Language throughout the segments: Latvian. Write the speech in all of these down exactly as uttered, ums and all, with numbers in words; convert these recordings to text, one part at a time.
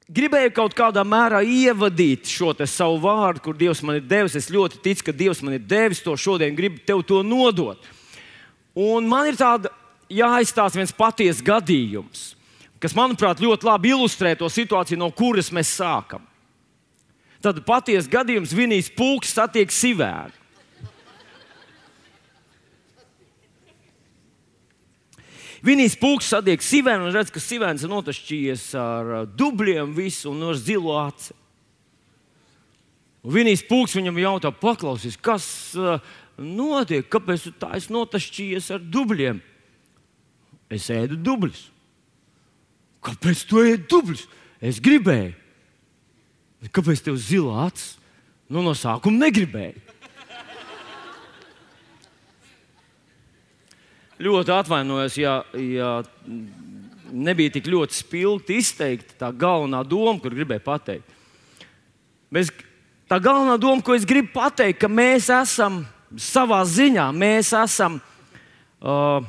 gribēju kaut kādā mērā ievadīt šo te savu vārdu, kur Dievs man ir devis. Es ļoti ticu, ka Dievs man ir devis to šodien, gribu tev to nodot. Un man ir tāda jāizstāsta viens patiesas gadījums, kas, manuprāt, ļoti labi ilustrē to situāciju, no kuras mēs sākam. Tad patiesas gadījums: Vinijs Pūks satiek Sivēnu. Vinijs Pūks satiek Sivēnu un redz, ka Sivēns ir notašķījies ar dubļiem visu un ar zilo aci. Un Vinijs Pūks viņam jautā: paklausies, kas uh, notiek, kāpēc tu tā esi notašķījies ar dubļiem? Es ēdu dubļus. Kāpēc tu ēdi dubļus? Es gribēju. Kāpēc tev zila acis? Nu, no sākuma negribēju. Ļoti atvainojos, ja, ja nebija tik ļoti spilgti izteikta tā galvenā doma, kur gribēju pateikt. Mēs, tā galvenā doma, ko es gribu pateikt, ka mēs esam savā ziņā, mēs esam uh,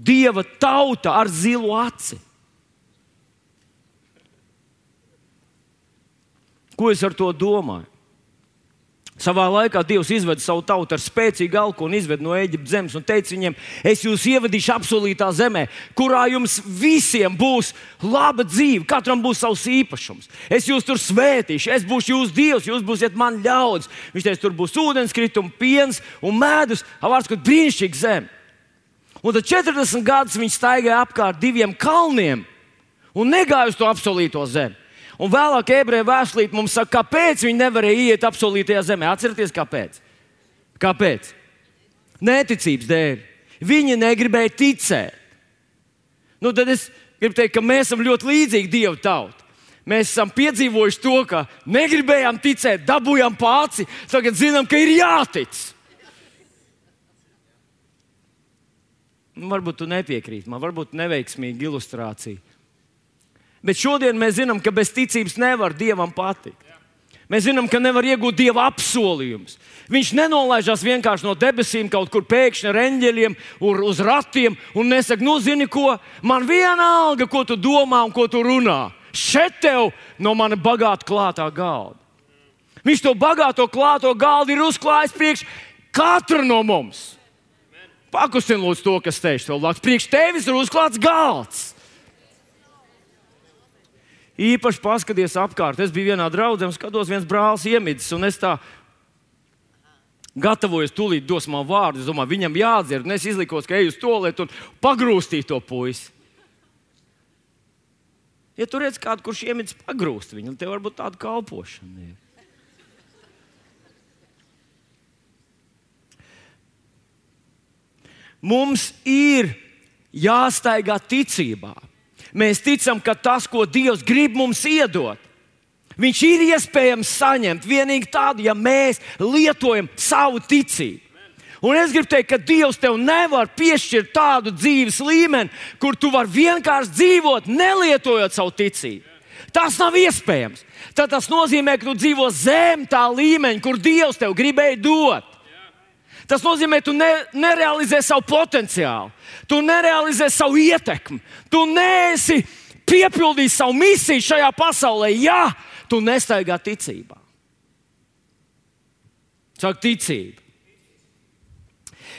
Dieva tauta ar zilu aci. Ko es ar to domāju? Savā laikā Dievs izveda savu tautu ar spēcīgu alku un izveda no Ēģiptes zemes un teica viņiem: es jūs ievadīšu apsolītā zemē, kurā jums visiem būs laba dzīve, katram būs savs īpašums. Es jūs tur svētīšu, es būšu jūsu Dievs, jūs būsiet man ļaudis. Viņš teica, tur būs ūdenskritumi, piens un medus, vārds, kur brīnišķīga zeme. Un tad četrdesmit gadus viņi staigāja apkārt diviem kalniem un negāja uz to apsolīto zemi. Un vēlāk ebreju vēstulīte mums saka, kāpēc viņi nevarēja iet apsolītajā zemē. Atcerieties, kāpēc? Kāpēc? Neticības dēļ. Viņi negribēja ticēt. Nu, tad es gribu teikt, ka mēs esam ļoti līdzīgi Dieva tauta. Mēs esam piedzīvojuši to, ka negribējām ticēt, dabūjām pāri, tagad zinām, ka ir jātic. Nu, varbūt tu nepiekrīti man, varbūt neveiksmīga ilustrācija. Bet šodien mēs zinām, ka bez ticības nevar Dievam patikt. Mēs zinām, ka nevar iegūt Dieva apsolījumus. Viņš nenolaižās vienkārši no debesīm kaut kur pēkšņi ar eņģeļiem uz ratiem un nesaka, nu zini ko, man vienalga, ko tu domā un ko tu runā. Šeit tev no mana bagāta klātā galda. Viņš to bagāto klāto galdu ir uzklājis priekš katra no mums. Pakustin lūdzu to, kas teiks tev blakus. Priekš tevis ir uzklāts galds. Īpaši paskaties apkārt. Es biju vienā draudzē un skatos, viens brālis iemidzis, un es tā gatavojos, tūlīt dos man vārdu. Es domāju, viņam jādzird, un es izlikos, ka eju uz tualeti un pagrūstīju to puisi. Ja tu redz kādu, kurš iemidzis, pagrūst viņu, tev varbūt tāda kalpošana ir. Mums ir jāstaigā ticībā. Mēs ticam, ka tas, ko Dievs grib mums iedot, viņš ir iespējams saņemt vienīgi tādu, ja mēs lietojam savu ticību. Un es gribu teikt, ka Dievs tev nevar piešķirt tādu dzīves līmeni, kur tu vari vienkārši dzīvot, nelietojot savu ticību. Tas nav iespējams. Tad tas nozīmē, ka tu dzīvo zem tā līmeņa, kur Dievs tev gribēja dot. Tas nozīmē, ka tu ne, nerealizē savu potenciālu, tu nerealizē savu ietekmi, tu neesi piepildījis savu misiju šajā pasaulē, ja tu nestaigā ticībā. Saka, ticība.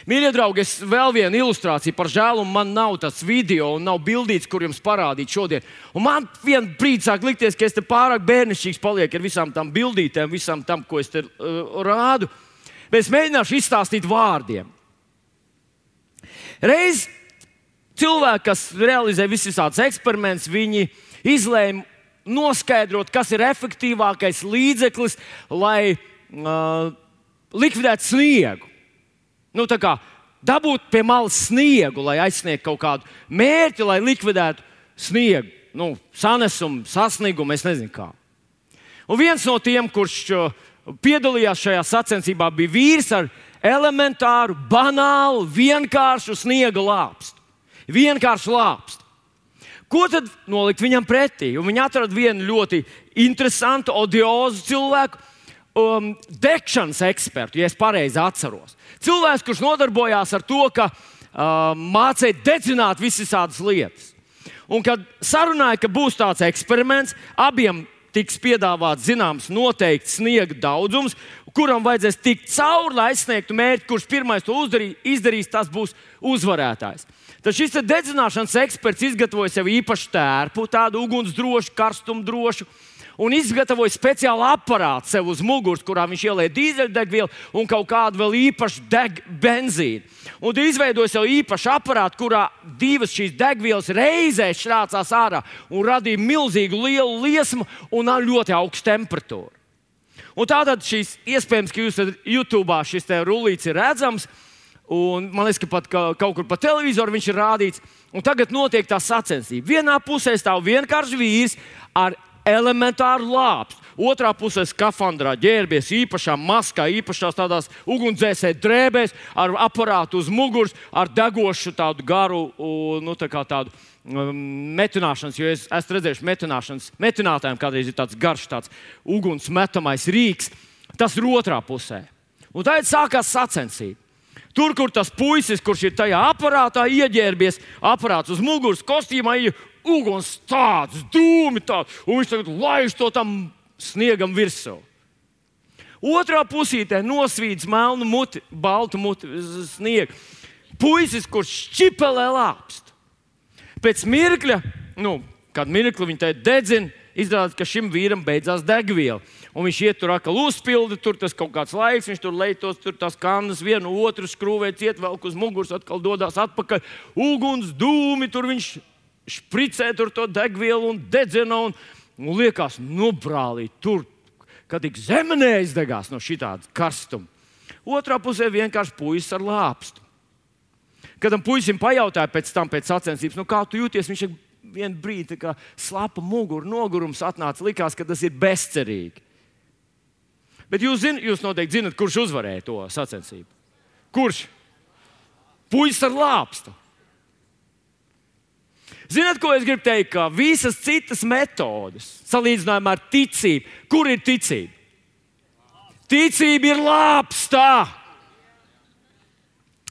Mīļie draugi, es vēl vienu ilustrāciju par žēlumu. Man nav tas video un nav bildīts, kur jums parādīt šodien. Un man vien brīdi sāk likties, ka es te pārāk bērnišķīgs paliek ar visām tam bildītēm, visam tam, ko es te uh, rādu. Bet es mēģināšu izstāstīt vārdiem. Reiz cilvēki, kas realizē visādus eksperimentus, viņi izlēma noskaidrot, kas ir efektīvākais līdzeklis, lai uh, likvidētu sniegu. Nu, tā kā dabūt pie malas sniegu, lai aizsniegtu kaut kādu mērķi, lai likvidētu sniegu. Nu, sanesumu, sasniegumu, es nezinu kā. Un viens no tiem, kurš uh, piedalījās šajā sacensībā, bija vīrs ar elementāru, banālu, vienkāršu sniega lāpstu. Vienkārši lāpstu. Ko tad nolikt viņam pretī? Un viņi atrada vienu ļoti interesantu, odiozu cilvēku, um, degšanas ekspertu, ja es pareizi atceros. Cilvēks, kurš nodarbojās ar to, ka uh, mācīja dedzināt visas tādas lietas. Un kad sarunāja, ka būs tāds eksperiments, abiem tiks piedāvāts zināms noteikts sniega daudzums, kuram vajadzēs tikt cauri, lai aizsniegtu mērķi, kurš pirmais to uzdarī, izdarīs, tas būs uzvarētājs. Tad šis dedzināšanas eksperts izgatavoja sev īpašu tērpu, tādu ugunsdrošu, karstumdrošu, un izgatavoja speciālu aparātu sev uz muguras, kurā viņš ielēja dīzeļdegvielu un kaut kādu vēl īpašu deg benzīnu. Un izveidoja sev īpašu aparātu, kurā divas šīs degvielas reizē šķrācās ārā un radīja milzīgu lielu liesmu un ļoti augstu temperatūru. Un tātad šīs, iespējams, ka jūs YouTube šis te rullīts ir redzams, un man liekas, ka pat ka, kaut kur pa televizoru viņš ir rādīts. Un tagad notiek tā sacensība. Vienā pusē stāv vienkārši vīrs ar elementāru lāpstu. Otrā pusē skafandrā ģērbies īpašā maskā, īpašās tādās ugunsdzēsēju drēbēs, ar aparātu uz muguras, ar degošu tādu garu, nu, tā kā tādu um, metināšanas, jo es esmu redzējuši metināšanas, metinātājiem kādreiz ir tāds garš, tāds uguns metamais rīks. Tas ir otrā pusē. Un tagad sākās sacensība. Tur, kur tas puisis, kurš ir tajā aparātā ieģērbies, aparāts uz muguras, kostīmā ir uguns tāds, dūmi tāds, un viņš tagad laiž to tam sniegam virsū. Otrā pusītē nosvīdz melnu muti, baltu muti sniegu. Puisis, kurš šķipelē lāpstu. Pēc mirkļa, nu, kad mirkli viņi te dedzina, izrādās, ka šim vīram beidzās degviela. Un viņš iet tur atkal uzpildi, tur tas kaut kāds laiks, viņš tur leitos, tur tās kannas vienu otru skrūvē, ciet velk uz muguras, atkal dodās atpakaļ. Uguns, dūmi, tur viņš špricē tur to degvielu un dedzina un, un liekas, nu brālī, tur, kad tik zeme neizdegās no šitāda karstuma. Otrā pusē vienkārši puisis ar lāpstu. Kad tam puisim pajautāja pēc tam, pēc sacensības, nu kā tu jūties, viņš ir vienu brīdi kā slapa mugura, nogurums atnāca, likās, ka tas ir bezcerīgi. Bet jūs, zin, jūs noteikti zinat, kurš uzvarēja to sacensību. Kurš? Puisis ar lāpstu. Zināt, ko es gribu teikt? Ka visas citas metodes, salīdzinājumā ar ticību, kur ir ticība? Ticība ir lāpstā.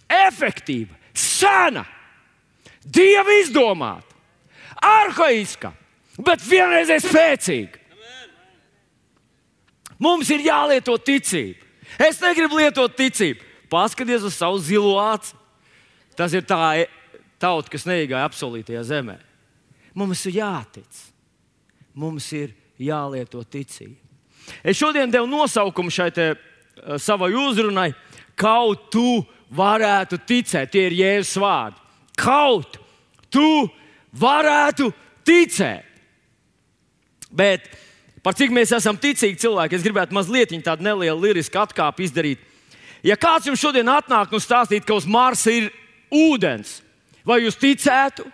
Efektīva, sena, Dieva izdomāta, arhaiska, bet vienreizēji spēcīga. Mums ir jālieto ticība. Es negribu lietot ticību. Paskaties uz savu zilo aci. Tas ir tā tauta, kas neiegāja apsolītajā zemē. Mums ir jātic. Mums ir jālieto ticība. Es šodien devu nosaukumu šai te, uh, savai uzrunai. Kaut tu varētu ticēt. Tie ir Jēzus vārdi. Kaut tu varētu ticēt. Bet par cik mēs esam ticīgi cilvēki, es gribētu mazliet tādu nelielu lirisku atkāpi izdarīt. Ja kāds jums šodien atnāk un stāstīt, ka uz Marsa ir ūdens, vai jūs ticētu?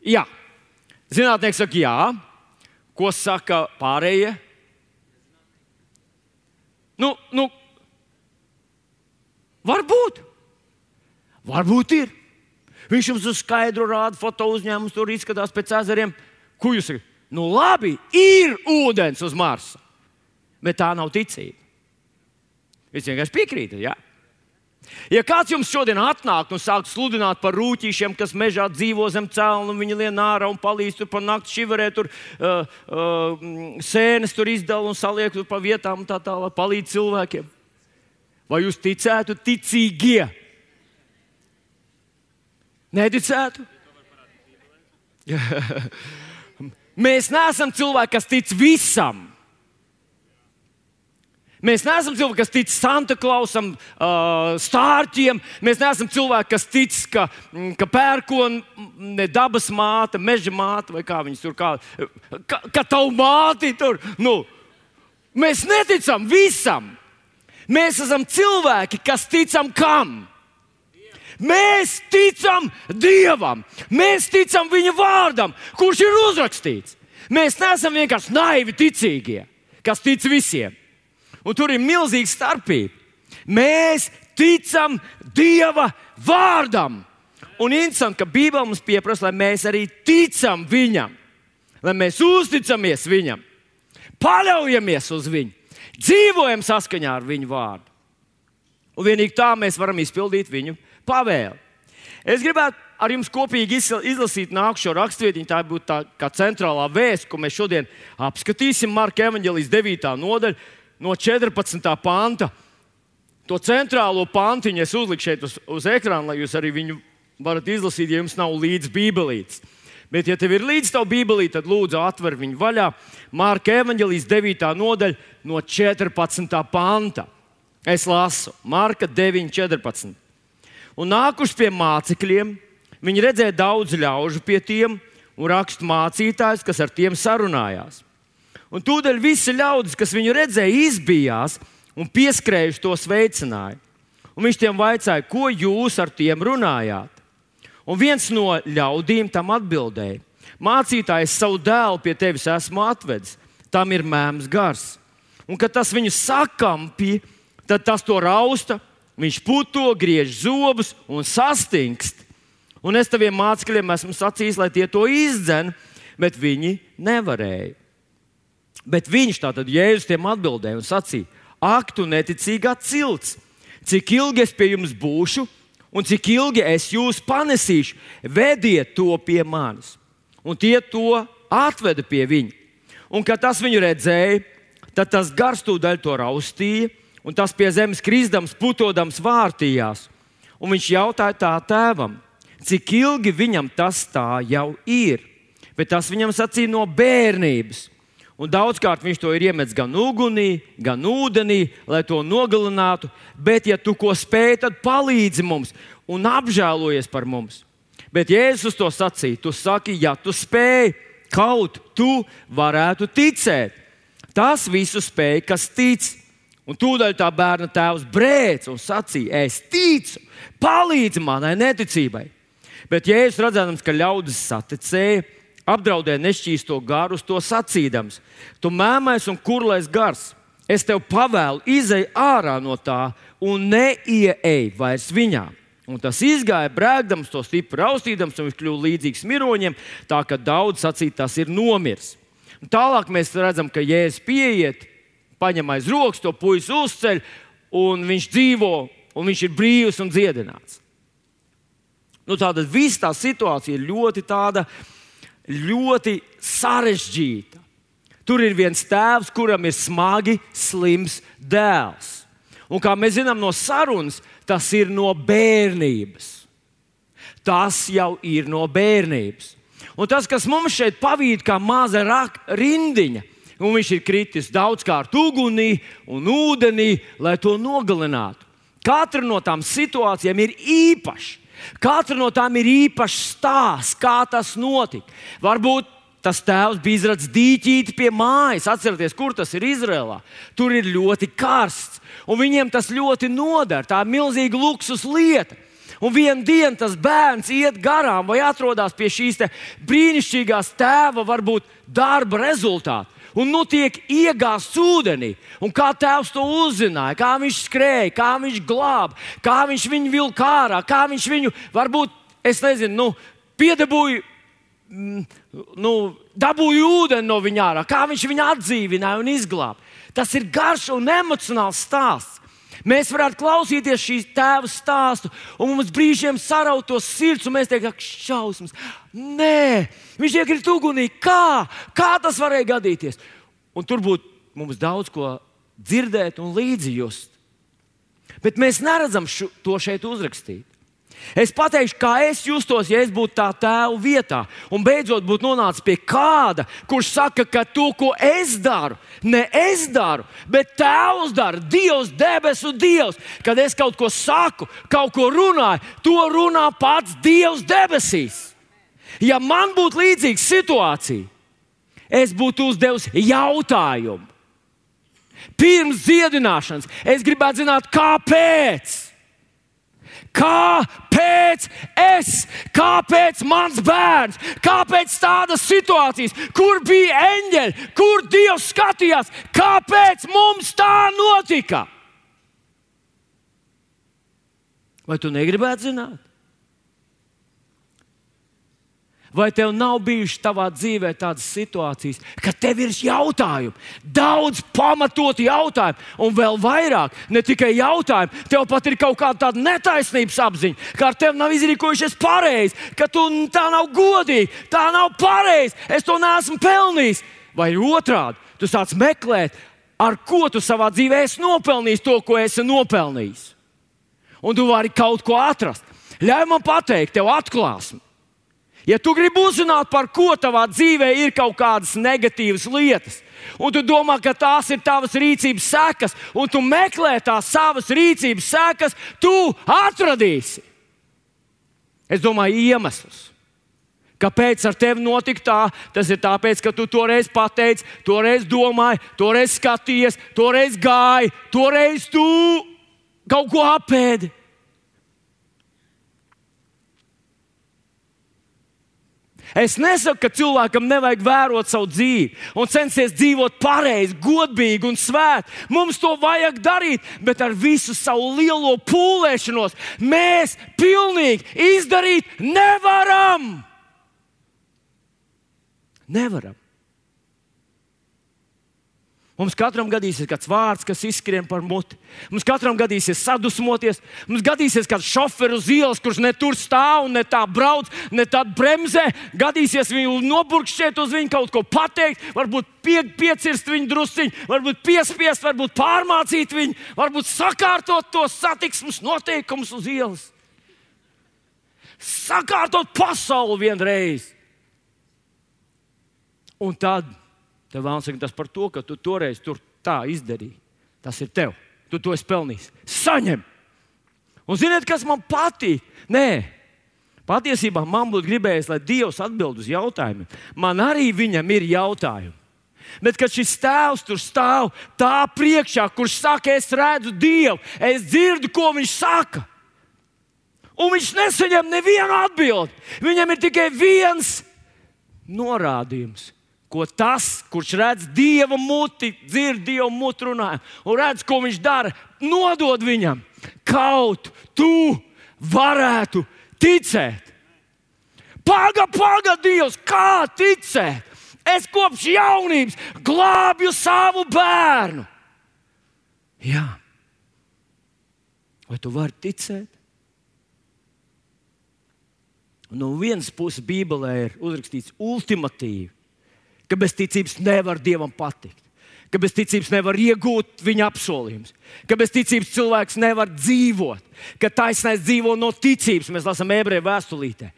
Jā. Zinātnieki saka jā. Ko saka pārējie? Nu, nu, varbūt. Varbūt ir. Viņš jums uz skaidru rāda foto uzņēmumus, tur izskatās pēc ezeriem. Ko jūs sakat? Nu labi, ir ūdens uz Marsa, bet tā nav ticība. Jūs vienkārši piekrītat, jā? Ja kāds jums šodien atnāk un sāk sludināt par rūķīšiem, kas mežā dzīvo zem celna, un viņi lien ārā un palīdz tur pa nakti šiverē, tur uh, uh, sēnes tur izdala un saliek tur pa vietām un tā tālāk, palīdz cilvēkiem. Vai jūs ticētu ticīgie? Neticētu? Mēs neesam cilvēki, kas tic visam. Mēs neesam cilvēki, kas tic Santa Klausam, stārķiem. Mēs neesam cilvēki, kas tic, ka, ka pērkona dabas māte, meža māte, vai kā viņas tur kā, ka, ka tavu māti tur. Nu, mēs neticam visam. Mēs esam cilvēki, kas ticam kam? Mēs ticam Dievam. Mēs ticam Viņa vārdam, kurš ir uzrakstīts. Mēs neesam vienkārši naivi ticīgie, kas tic visiem. Un tur ir milzīga starpība. Mēs ticam Dieva vārdam. Un interesanti, ka Bībele mums pieprasa, lai mēs arī ticam Viņam. Lai mēs uzticamies Viņam. Paļaujamies uz Viņu. Dzīvojam saskaņā ar Viņu vārdu. Un vienīgi tā mēs varam izpildīt Viņu pavēli. Es gribētu ar jums kopīgi izlasīt nākušo rakstvietiņu. Tā būtu tā kā centrālā vēsts, ko mēs šodien apskatīsim. Marka evaņģēlijas devītā nodaļa no četrpadsmitā panta. To centrālo pantiņu es uzliku šeit uz, uz ekrāna, lai jūs arī viņu varat izlasīt, ja jums nav līdz bībelītes. Bet, ja tev ir līdz tavu bībelīti, tad lūdzu atver viņu vaļā. Marka evaņģēlijas devītā nodaļa no četrpadsmitā panta. Es lasu Marka deviņi četrpadsmit. Un nākuši pie mācekļiem, viņi redzēja daudz ļaužu pie tiem un rakstu mācītājus, kas ar tiem sarunājās. Un tūdaļ visi ļaudis, kas viņu redzēja, izbijās un pieskrējuši to sveicināja. Un viņš tiem vaicāja, ko jūs ar tiem runājāt? Un viens no ļaudīm tam atbildēja: mācītājs, savu dēlu pie tevis esmu atvedis, tam ir mēms gars. Un kad tas viņu sakampja, tad tas to rausta, viņš puto, griež zobus un sastingst. Un es taviem mācekļiem esmu sacījis, lai tie to izdzen, bet viņi nevarēja. Bet viņš, tātad Jēzus, tiem atbildēja un sacīja: ak, tu neticīgā cilts, cik ilgi es pie jums būšu un cik ilgi es jūs panesīšu, vediet to pie manis. Un tie to atveda pie viņa. Un kad tas viņu redzēja, tad tas gars tūdaļ to raustīja, un tas pie zemes krisdams, putodams vārtījās. Un viņš jautāja tā tēvam, cik ilgi viņam tas tā jau ir. Bet tas viņam sacīja no bērnības. Un daudzkārt viņš to ir iemetis gan ugunī, gan ūdenī, lai to nogalinātu. Bet, ja tu ko spēj, tad palīdzi mums un apžēlojies par mums. Bet Jēzus to sacīja: tu saki, ja tu spēj, kaut tu varētu ticēt. Tas visu spēj, kas tic. Un tūdaļ tā bērna tēvs brēc un sacīja: es ticu, palīdzi manai neticībai. Bet Jēzus, redzēdams, ka ļaudis saticēja, apdraudēja nešķīsto garu, to sacīdams: tu mēmais un kurlais gars, es tev pavēlu, izej ārā no tā un neieej vairs viņā. Un tas izgāja brēkdams, to stipri raustīdams, un viņš kļuva līdzīgs miroņiem, tā ka daudz sacīja, tas ir nomiris. Un tālāk mēs redzam, ka Jēzus pieiet, paņem aiz rokas, to puisi uzceļ, un viņš dzīvo, un viņš ir brīvs un dziedināts. Nu, tātad viss tā situācija ir ļoti tāda, ļoti sarežģīta. Tur ir viens tēvs, kuram ir smagi slims dēls. Un kā mēs zinām no sarunas, tas ir no bērnības. Tas jau ir no bērnības. Un tas, kas mums šeit pavīd kā maza rindiņa, un viņš ir kritis daudzkārt ugunī un ūdenī, lai to nogalinātu. Katra no tām situācijām ir īpaša. Katra no tām ir īpašs stāsts, kā tas notika. Varbūt tas tēvs bija izradis dīķīti pie mājas. Atcerieties, kur tas ir Izrēlā. Tur ir ļoti karsts, un viņiem tas ļoti noder. Tā ir milzīga luksus lieta. Un vienu dienu tas bērns iet garām vai atrodas pie šīs te brīnišķīgās tēva, varbūt darba rezultāta. Un nu tiek iegāzts ūdenī. Un kā tēvs to uzzināja, kā viņš skrēja, kā viņš glāba, kā viņš viņu vilka ārā, kā viņš viņu, varbūt, es nezinu, nu, piedabūja, nu, dabūja ūdeni no viņa ārā, kā viņš viņu atdzīvināja un izglāba. Tas ir garš un emocionāls stāsts. Mēs varētu klausīties šīs tēva stāstu, un mums brīžiem sarautos sirds, un mēs teiktu, ak, šausmas. Nē, viņš iekrīt ugunī. Kā? Kā tas varēja gadīties? Un tur būtu mums daudz ko dzirdēt un līdzi just. Bet mēs neredzam šo, to šeit uzrakstīt. Es pateikšu, kā es justos, ja es būtu tā tēva vietā un beidzot būtu nonācis pie kāda, kurš saka, ka to, ko es daru, ne es daru, bet tēvs dara, Dievs, debesu Dievs. Kad es kaut ko saku, kaut ko runāju, to runā pats Dievs debesīs. Ja man būtu līdzīga situācija, es būtu uzdevis jautājumu. Pirms dziedināšanas es gribētu zināt, kāpēc. Kāpēc es? Kāpēc mans bērns? Kāpēc tādas situācijas? Kur bija eņģeļi? Kur Dievs skatījās? Kāpēc mums tā notika? Vai tu negribētu zināt? Vai tev nav bijušas tavā dzīvē tādas situācijas, ka tev ir jautājumi, daudz pamatoti jautājumi, un vēl vairāk, ne tikai jautājumi, tev pat ir kaut kāda tāda netaisnības apziņa, ka ar tevi nav izrīkojušies pareizi, ka tu tā nav godīgi, tā nav pareizi, es to neesmu pelnījis. Vai otrādi, tu sāc meklēt, ar ko tu savā dzīvē esi nopelnījis to, ko esi nopelnījis. Un tu vari kaut ko atrast. Ļauj man pateikt, tev atklāsmi. Ja tu gribi uzzināt, par ko tavā dzīvē ir kaut kādas negatīvas lietas, un tu domā, ka tās ir tavas rīcības sekas, un tu meklē tās savas rīcības sekas, tu atradīsi. Es domāju, iemeslus. Kāpēc ar tevi notika tā? Tas ir tāpēc, ka tu toreiz pateici, toreiz domāji, toreiz skatījies, toreiz gāji, toreiz tu kaut ko apēdi. Es nesaku, ka cilvēkam nevajag vērot savu dzīvi un censties dzīvot pareizi, godīgi un svēti. Mums to vajag darīt, bet ar visu savu lielo pūlēšanos mēs pilnīgi izdarīt nevaram. Nevaram. Mums katram gadīsies kāds vārds, kas izskrien par muti. Mums katram gadīsies sadusmoties. Mums gadīsies kāds šoferis uz ielas, kurš ne tur stāv, ne tā brauc, ne tā bremzē. Gadīsies viņu noburkšķēt uz viņu, kaut ko pateikt, varbūt pie, piecirst viņu drusciņu, varbūt piespiest, varbūt pārmācīt viņu, varbūt sakārtot tos satiksmes noteikumus uz ielas. Sakārtot pasauli vienreiz. Un tad tev vēlams saka, tas par to, ka tu toreiz tur tā izdarīji. Tas ir tev. Tu to esi pelnījis. Saņem! Un ziniet, kas man patīk? Nē, patiesībā man būtu gribējis, lai Dievs atbild uz jautājumiem. Man arī viņam ir jautājumi. Bet, kad šis tēvs tur stāv tā priekšā, kurš saka, es redzu Dievu, es dzirdu, ko viņš saka. Un viņš nesaņem nevienu atbildi. Viņam ir tikai viens norādījums. Ko tas, kurš redz Dieva muti, dzird Dieva muti runājumu un redz, ko viņš dara, nodod viņam. Kaut tu varētu ticēt. Paga, paga, Dievs, kā ticēt? Es kopš jaunības glābju savu bērnu. Jā. Vai tu vari ticēt? No vienas puses Bībelē ir uzrakstīts ultimatīvi, ka bez ticības nevar Dievam patikt, ka bez ticības nevar iegūt viņa apsolījumus, ka bez ticības cilvēks nevar dzīvot, ka taisnais dzīvo no ticības. Mēs lasām Ebreju vēstulītē.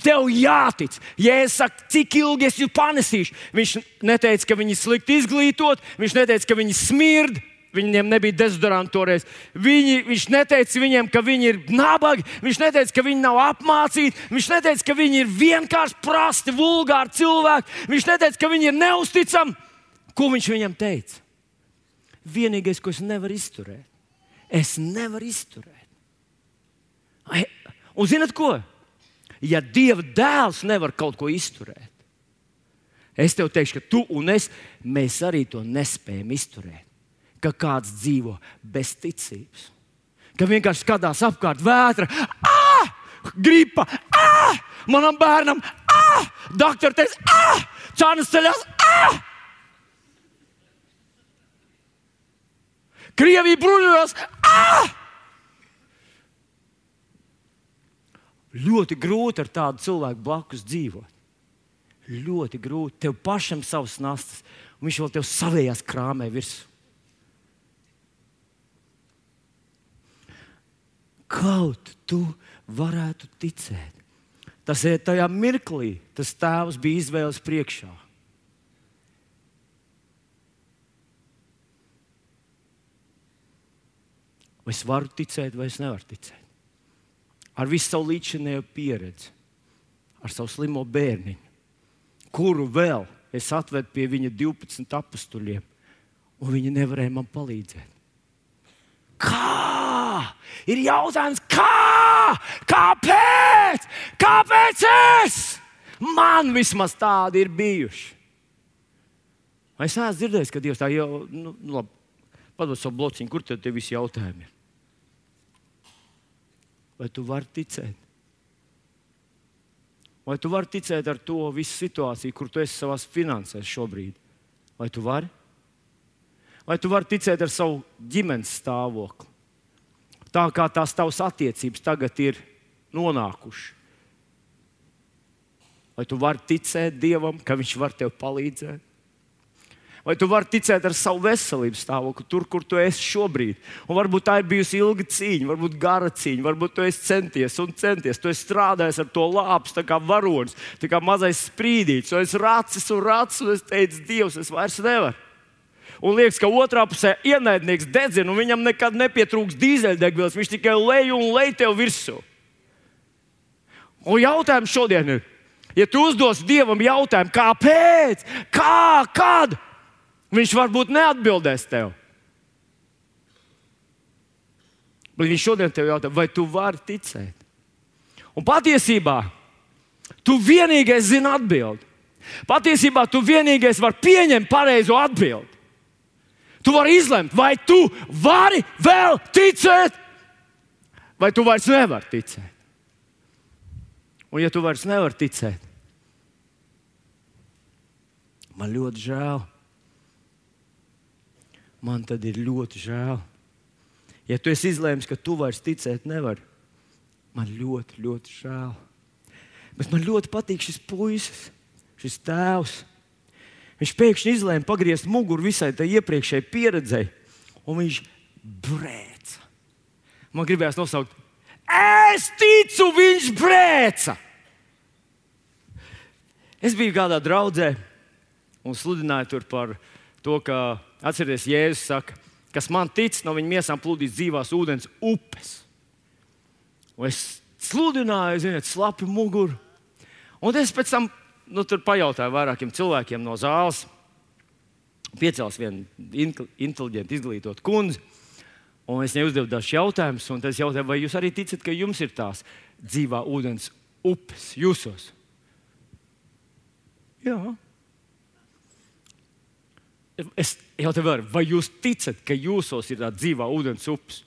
Tev jātic. Ja es saku, cik ilgi es jūs panesīšu, viņš neteica, ka viņi slikti izglītot, viņš neteica, ka viņi smird, viņiem nebija dezodoranti toreiz. Viņi, viņš neteica viņiem, ka viņi ir nabagi, viņš neteica, ka viņi nav apmācīti, viņš neteica, ka viņi ir vienkārši prasti, vulgāri cilvēki, viņš neteica, ka viņi ir neusticami. Ko viņš viņam teica? Vienīgais, ko es nevaru izturēt. Es nevaru izturēt. Un zināt ko? Ja Dieva dēls nevar kaut ko izturēt, es tev teikšu, ka tu un es, mēs arī to nespējam izturēt. Ka kāds dzīvo bez ticības. Ka vienkārši skatās apkārt vētra. Ah! Gripa! Ah! Manam bērnam! Ah! Doktor teica! Ah! Čānas ceļās! Ah! Krievija bruņojās! Ah! Ļoti grūti ar tādu cilvēku blakus dzīvot. Ļoti grūti. Tev pašam savas nastas, un viņš vēl tev savējās krāmē virsū. Kaut tu varētu ticēt. Tas ir tajā mirklī, tas tēvs bija izvēles priekšā. Vai es varu ticēt, vai es nevaru ticēt? Ar visu savu līdzinējo pieredzi, ar savu slimo bērniņu, kuru vēl es atvedu pie viņa divpadsmit apustuļiem, un viņi nevarēja man palīdzēt. Kā? Ir jautājums, kā? Kāpēc? Kāpēc es? Man vismaz tādi ir bijuši. Vai es neesmu dzirdējis, ka Dievs tā jau, nu, labi, padod savu blociņu, kur tad tie visi jautājumi ir? Vai tu vari ticēt? Vai tu vari ticēt ar to visu situāciju, kur tu esi savās finansēs šobrīd? Vai tu vari? Vai tu vari ticēt ar savu ģimenes stāvokli? Tā kā tās tavas attiecības tagad ir nonākušas. Vai tu vari ticēt Dievam, ka Viņš var tev palīdzēt? Vai tu vari ticēt ar savu veselības stāvokli, tur, kur tu esi šobrīd? Un varbūt tā ir bijusi ilga cīņa, varbūt gara cīņa, varbūt tu esi centies un centies. Tu esi strādājis ar to lāpstu, tā kā varonis, tā kā mazais sprīdītis. Tu esi racis un racis, un es teicu, Dievs, es vairs nevaru. Un liekas, ka otrā pusē ienaidnieks dedzina, un viņam nekad nepietrūks dīzeļdegvielas. Viņš tikai lej un lej tev virsū. Un jautājums šodien ir, ja tu uzdos Dievam jautājumu, kāpēc, kā, kad, Viņš varbūt neatbildēs tev. Bet Viņš šodien tev jautā, vai tu vari ticēt? Un patiesībā tu vienīgais zini atbildi. Patiesībā tu vienīgais vari pieņemt pareizo atbildi. Tu vari izlemt, vai tu vari vēl ticēt, vai tu vairs nevari ticēt. Un ja tu vairs nevari ticēt, man ļoti žēl. Man tad ir ļoti žēl. Ja tu esi izlēmis, ka tu vairs ticēt nevari, man ļoti, ļoti žēl. Bet man ļoti patīk šis puisis, šis tēvs. Viņš pēkšņi izlēma pagriezt muguru visai tai iepriekšējai pieredzei, un viņš brēca. Man gribējās nosaukt, es ticu, viņš brēca! Es biju kādā draudzē un sludināju tur par to, ka, atcerieties, Jēzus saka, kas man tic, no viņa miesām plūdīs dzīvās ūdens upes. Un es sludināju, ziniet, slapi muguru. Un es pēc tam nu, tur pajautāju vairākiem cilvēkiem no zāles. Piecēlās viena inteliģenta, izglītota kundze. Un es viņai uzdevu dažus jautājumus. Un es jautāju, vai jūs arī ticat, ka jums ir tās dzīvā ūdens upes jūsos? Jā. Es jautāju vēlreiz, vai jūs ticat, ka jūsos ir tā dzīvā ūdens upes?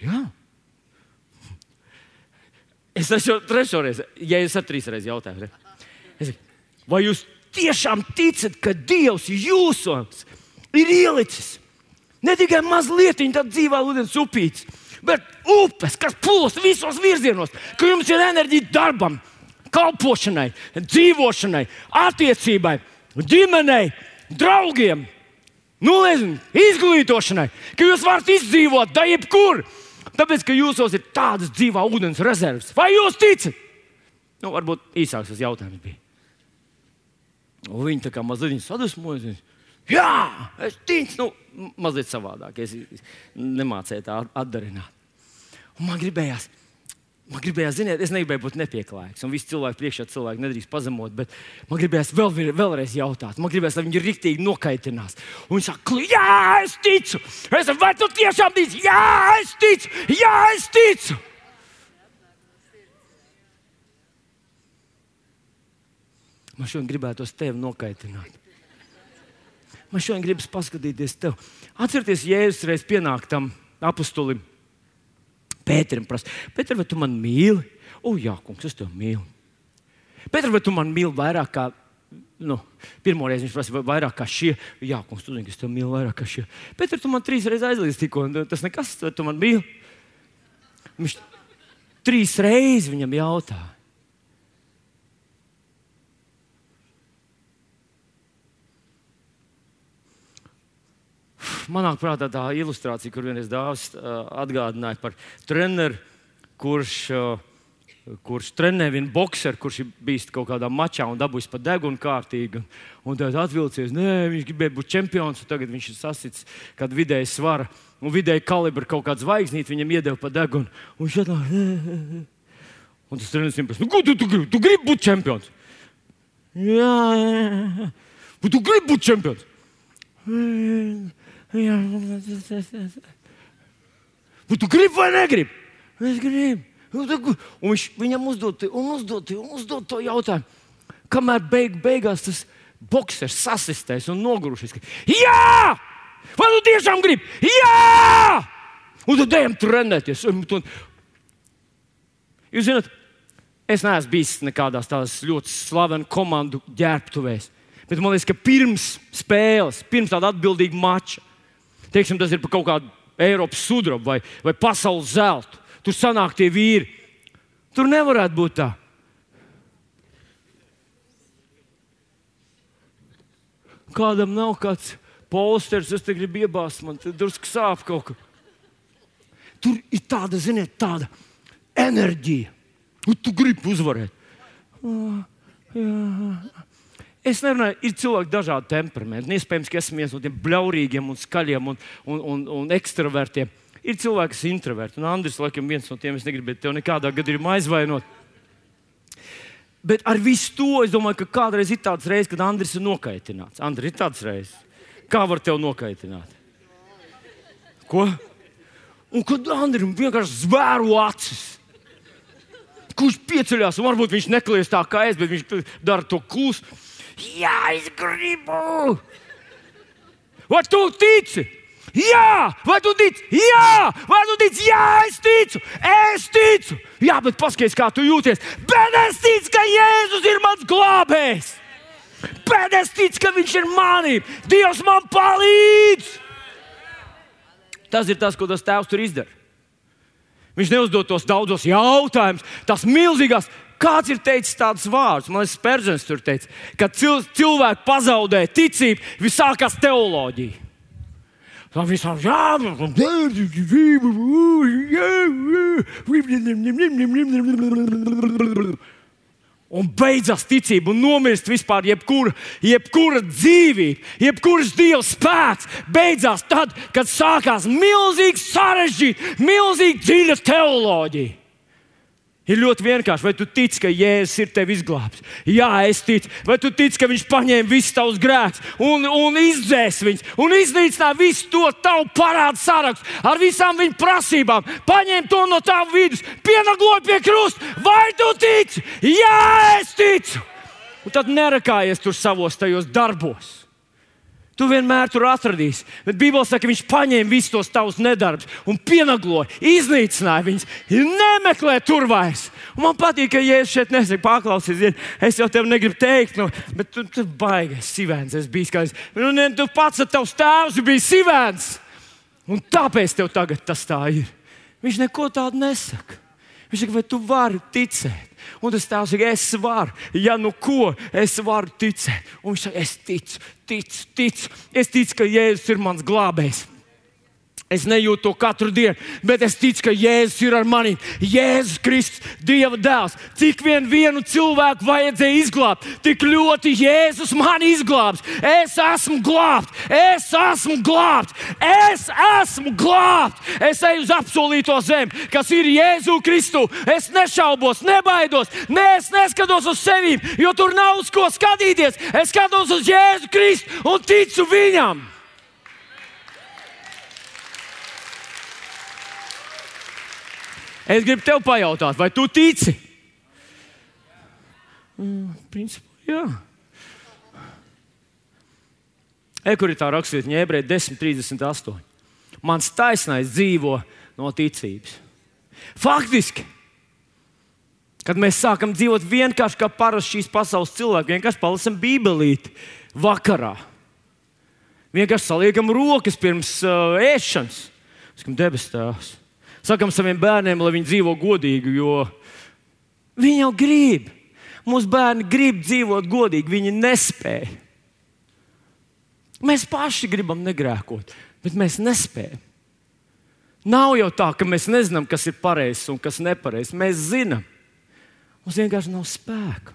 Jā. Es esmu trešo reizi, ja es ar trīs reizi jautāju. Es, vai jūs tiešām ticat, ka Dievs jūsos ir ielicis ne tikai mazliet tā dzīvā ūdens upītes, bet upes, kas plūst visos virzienos, ka jums ir enerģija darbam, kalpošanai, dzīvošanai, attiecībai, ģimenei, draugiem, nu, nezinu, izglītošanai, ka jūs varat izdzīvot da jebkur, tāpēc, ka jūsos ir tādas dzīvā ūdens rezerves. Vai jūs ticat? Nu, varbūt īsāks tas jautājums bija. Un viņi tā kā mazliet sadusmojas. Jā, es ticu, nu, mazliet savādāk. Es nemācēju tā atdarināt. Un man gribējās, Man gribējās, ziniet, es negribēju būt nepieklājīgs, un visi cilvēki priekšā cilvēki nedrīkst pazemot, bet man gribējās vēl, vēlreiz jautāt. Man gribējās, lai viņi riktīgi nokaitinās. Un viņi saka, jā, es ticu! Es saku, vai tu tiešām tici? Jā, es ticu! Jā, es ticu! Man šodien gribētos tevi nokaitināt. Man šodien gribas paskatīties tev. Atcerieties, Jēzus reiz pienāk tam apustulim Pēterim prasa, Pēter, vai tu man mīli? O, jā, kungs, es tev mīlu. Pēter, vai tu man mīli vairāk kā, nu, pirmoreiz viņš prasa, vairāk kā šie? Jā, kungs, tu zini, ka es tev mīlu vairāk kā šie. Pēter, tu man trīs reizes aizliedz tikko, tas nekas, vai tu man mīli? Viņš trīs reizes viņam jautā. Manāk prātā tā ilustrācija, kur vienreiz dāvs uh, atgādināja par treneru, kurš, uh, kurš trenē vienu bokseru, kurš ir bijis kaut kādā mačā un dabūjis pa degunu kārtīgi. Un tad atvilcies, nē, viņš gribēja būt čempions, un tagad viņš ir sasits kādu vidēju svara un vidēju kalibru kaut kādu zvaigznīti viņam iedeva pa degunu. Un šādā, un tas treneris viņam prasa, nu, ko tu, tu gribi? Tu gribi būt čempions? Jā, jā. Tu gribi būt čempions? Jā. Tu gribi vai negribi? Es gribu. Un viņš viņam uzdod, un uzdod, un uzdod to jautājumu. Kamēr beig, beigās tas boksers sasistēs un nogurušies. Jā! Vai tu tiešām gribi? Jā! Un tad ejam trenēties. Jūs zināt, Es neesmu bijis nekādās tādās ļoti slavenu komandu ģērbtuvēs. Bet man liekas, ka pirms spēles, pirms tāda atbildīga mača, teiksim, tas ir par kaut kādu Eiropas sudrabu vai, vai pasaules zeltu, tur sanāk tie vīri. Tur nevarētu būt tā. Kādam nav kāds polsters, es te gribu iebāzt, man te drusku sāp kaut kā. Tur ir tāda, ziniet, tāda enerģija. Un tu gribi uzvarēt. Oh, jā. Es nerunāju, ir cilvēki dažādi temperamenti. Iespējams, ka esmu viens no tiem bļaurīgiem un skaļiem un, un, un, un ekstravertiem. Ir cilvēki, kas ir introverti. Un Andris, laikam, viens no tiem, es negribu tev nekādā gadījumā aizvainot. Bet ar visu to, es domāju, ka kādreiz ir tāds reizes, kad Andris ir nokaitināts. Andris, ir tāds reizes. Kā var tev nokaitināt? Ko? Un kad Andrim vienkārši zvēru acis. Kurš pieceļās, un varbūt viņš neklies tā kā es, bet viņš dara to klusu. Jā, es gribu! Vai tu tici? Jā! Vai tu tici? Jā! Vai tu tici? Jā, es ticu! Es ticu! Jā, bet paskaties, kā tu jūties. Bet es ticu, ka Jēzus ir mans glābējs! Bet es ticu, ka viņš ir manī! Dievs man palīdz! Tas ir tas, ko tas tēvs tur izdara. Viņš neuzdod tos daudzos jautājumus, tās milzīgās. Kāds ir teicis tādus vārdus? Man liekas, Spērdzens tur teica, kad cil, cilvēki pazaudē ticību, viss sākās teoloģija. Tā visām jā, un beidzās ticība un nomirst vispār jebkura, jebkura dzīvība, jebkuras Dieva spēks. Beidzās tad, kad sākās milzīgi sarežģīta, milzīgi dziļa teoloģija. Ir ļoti vienkārši. Vai tu tici, ka Jēzus ir tevi izglābis? Jā, es ticu. Vai tu tici, ka viņš paņēma visus tavus grēkus un, un izdzēs viņus un iznīcināja visu to tavu parādu sarakstu ar visām viņa prasībām? Paņēma to no tavu vidus, pienagloja pie krusta. Vai tu tici? Jā, es ticu. Un tad nerakājies tur savos tajos darbos. Tu vienmēr tur atradīsi. Bet Bībele saka, ka viņš paņēma visus tos tavus nedarbus un pienagloja, iznīcināja viņus. Nemeklē tur vairs. Un man patīk, ka Jēzus šeit nesaka, paklausies, zini, es jau tev negribu teikt, nu, bet tu, tu baigais sivēns, es biju skaids. Nu, ne, tu pats ar tavs tēvs bija sivēns. Un tāpēc tev tagad tas tā ir. Viņš neko tādu nesaka. Viņš saka, vai tu vari ticēt? Un tas tēvs saka, es varu. Ja nu ko, es varu ticēt. Un viņš saka, es ticu, ticu, ticu. Es ticu, ka Jēzus ir mans glābējs. Es nejūtu to katru dienu, bet es ticu, ka Jēzus ir ar mani. Jēzus Kristus, Dieva dēls. Cik vien vienu cilvēku vajadzēja izglābt, tik ļoti Jēzus mani izglābs. Es esmu glābts, es esmu glābts, es esmu glābts. Es eju uz apsolīto zemi, kas ir Jēzu Kristu. Es nešaubos, nebaidos, ne, es neskatos uz sevi, jo tur nav uz ko skatīties. Es skatos uz Jēzu Kristu un ticu viņam. Es gribu tev pajautāt, vai tu tici? Mm, principā, jā. E, kur ir tā rakstvietiņa, Ebreji desmit trīsdesmit astoņi. Mans taisnais dzīvo no ticības. Faktiski, kad mēs sākam dzīvot vienkārši kā parasti šīs pasaules cilvēki, vienkārši palasam bībelīti vakarā. Vienkārši saliekam rokas pirms uh, ēšanas. Sakam, debes tēvs. Sakam saviem bērniem, lai viņi dzīvo godīgi, jo viņi jau grib. Mūsu bērni grib dzīvot godīgi, viņi nespēj. Mēs paši gribam negrēkot, bet mēs nespējam. Nav jau tā, ka mēs nezinām, kas ir pareizs un kas nepareizs. Mēs zinām. Mums vienkārši nav spēka.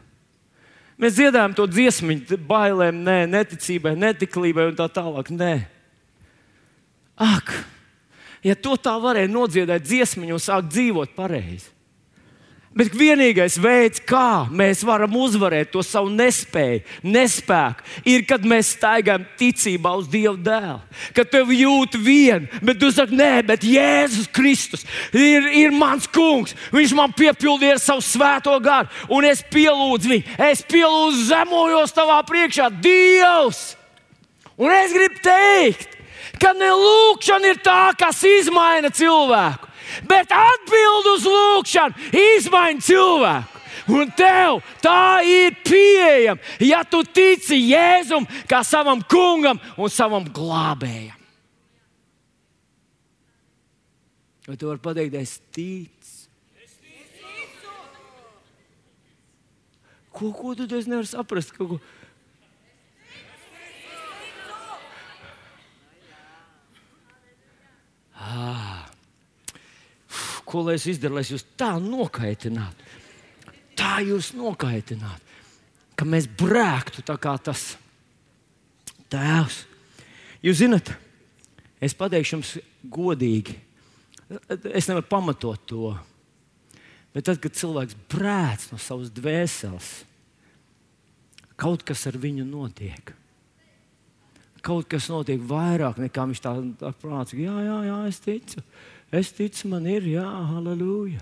Mēs dziedājam to dziesmiņu, bailēm, nē, neticībai, netiklībai un tā tālāk. Nē. Ak! Ja to tā varēja nodziedāt dziesmiņu un sākt dzīvot pareizi. Bet vienīgais veids, kā mēs varam uzvarēt to savu nespēju, nespēku, ir, kad mēs staigājam ticībā uz Dieva dēlu. Kad tev jūt vien, bet tu saki, nē, bet Jēzus Kristus ir, ir mans kungs. Viņš man piepildīja ar savu svēto garu, un es pielūdzu viņu. Es pielūdzu, zemojos tavā priekšā, Dievs! Un es gribu teikt, ka ne lūkšana ir tā, kas izmaina cilvēku, bet atbild uz lūkšanu izmaina cilvēku. Un tev tā ir pieejama, ja tu tici Jēzum kā savam kungam un savam glābējam. Vai tu vari pateikt, es ticu? Ko, ko tu es nevaru saprast? Ko, ko? Ah. Ko lai es izdaru, lai es jūs tā nokaitinātu? Tā jūs nokaitinātu, ka mēs brēktu tā kā tas tēvs. Jūs zināt, es pateikšu jums godīgi, es nevaru pamatot to, bet tad, kad cilvēks brēc no savas dvēseles, kaut kas ar viņu notiek. Kaut kas notiek vairāk nekā viņš tā, tā prāts. Jā, jā, jā, es ticu. Es ticu, man ir, jā, halleluja.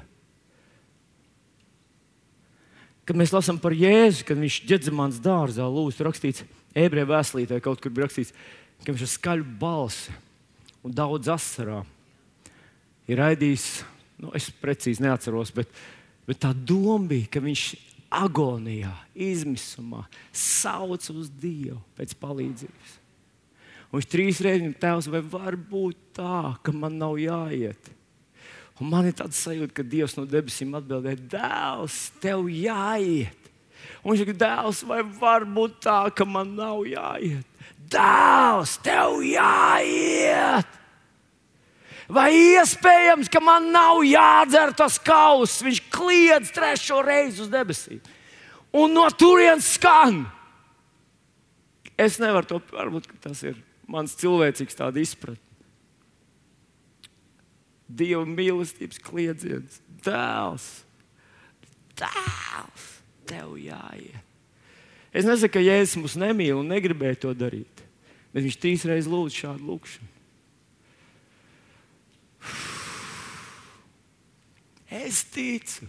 Kad mēs lasām par Jēzu, kad viņš Ģedzemanas dārzā lūdz, rakstīts ebreju vēstulītē, kaut kur bija rakstīts, ka viņš ar skaļu balsi un daudz asarā ir raidījis, nu, es precīzi neatceros, bet, bet tā doma bija, ka viņš agonijā, izmisumā sauc uz Dievu pēc palīdzības. Un viņš trīs reizes viņam tēvs, vai var būt tā, ka man nav jāiet? Un man ir tāds sajūta, ka Dievs no debesīm atbildēja, dēls, tev jāiet. Un viņš saka, dēls, vai var būt tā, ka man nav jāiet? Dēls, tev jāiet! Vai iespējams, ka man nav jādzer tas kauss? Viņš kliedz trešo reizi uz debesīm. Un no turienes skan. Es nevaru to, varbūt tas ir mans cilvēcīgs tāda izpratne. Dieva mīlestības kliedziens. Dēls, dēls, tev jāiet. Es nesaku, ka Jēzus mūs nemīl un negribēja to darīt, bet viņš trīs reizes lūdz šādu lūkšanu. Es ticu.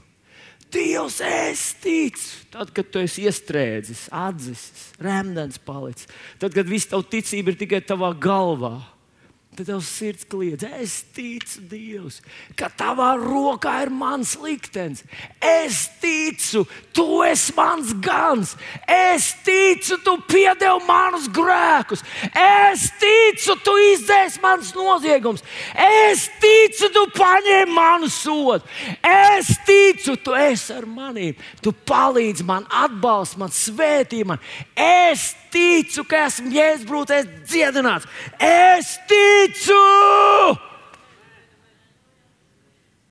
Dievs, es ticu. Tad, kad tu esi iestrēdzis, atzisis, remdens palicis, tad, kad viss tavu ticība ir tikai tavā galvā, tad tavs sirds kliedz, es ticu, Dievs, ka tavā rokā ir mans liktenis. Es ticu, tu esi mans gans. Es ticu, tu piedevi manus grēkus. Es ticu, tu izdzēsi manus noziegumus. Es ticu, tu paņēmi manu sodu. Es ticu, tu esi ar maniem. Tu palīdzi man, atbalsti man, svētī man. Es ticu, ka esmu Jēzus brūcēs dziedināts. Es ticu!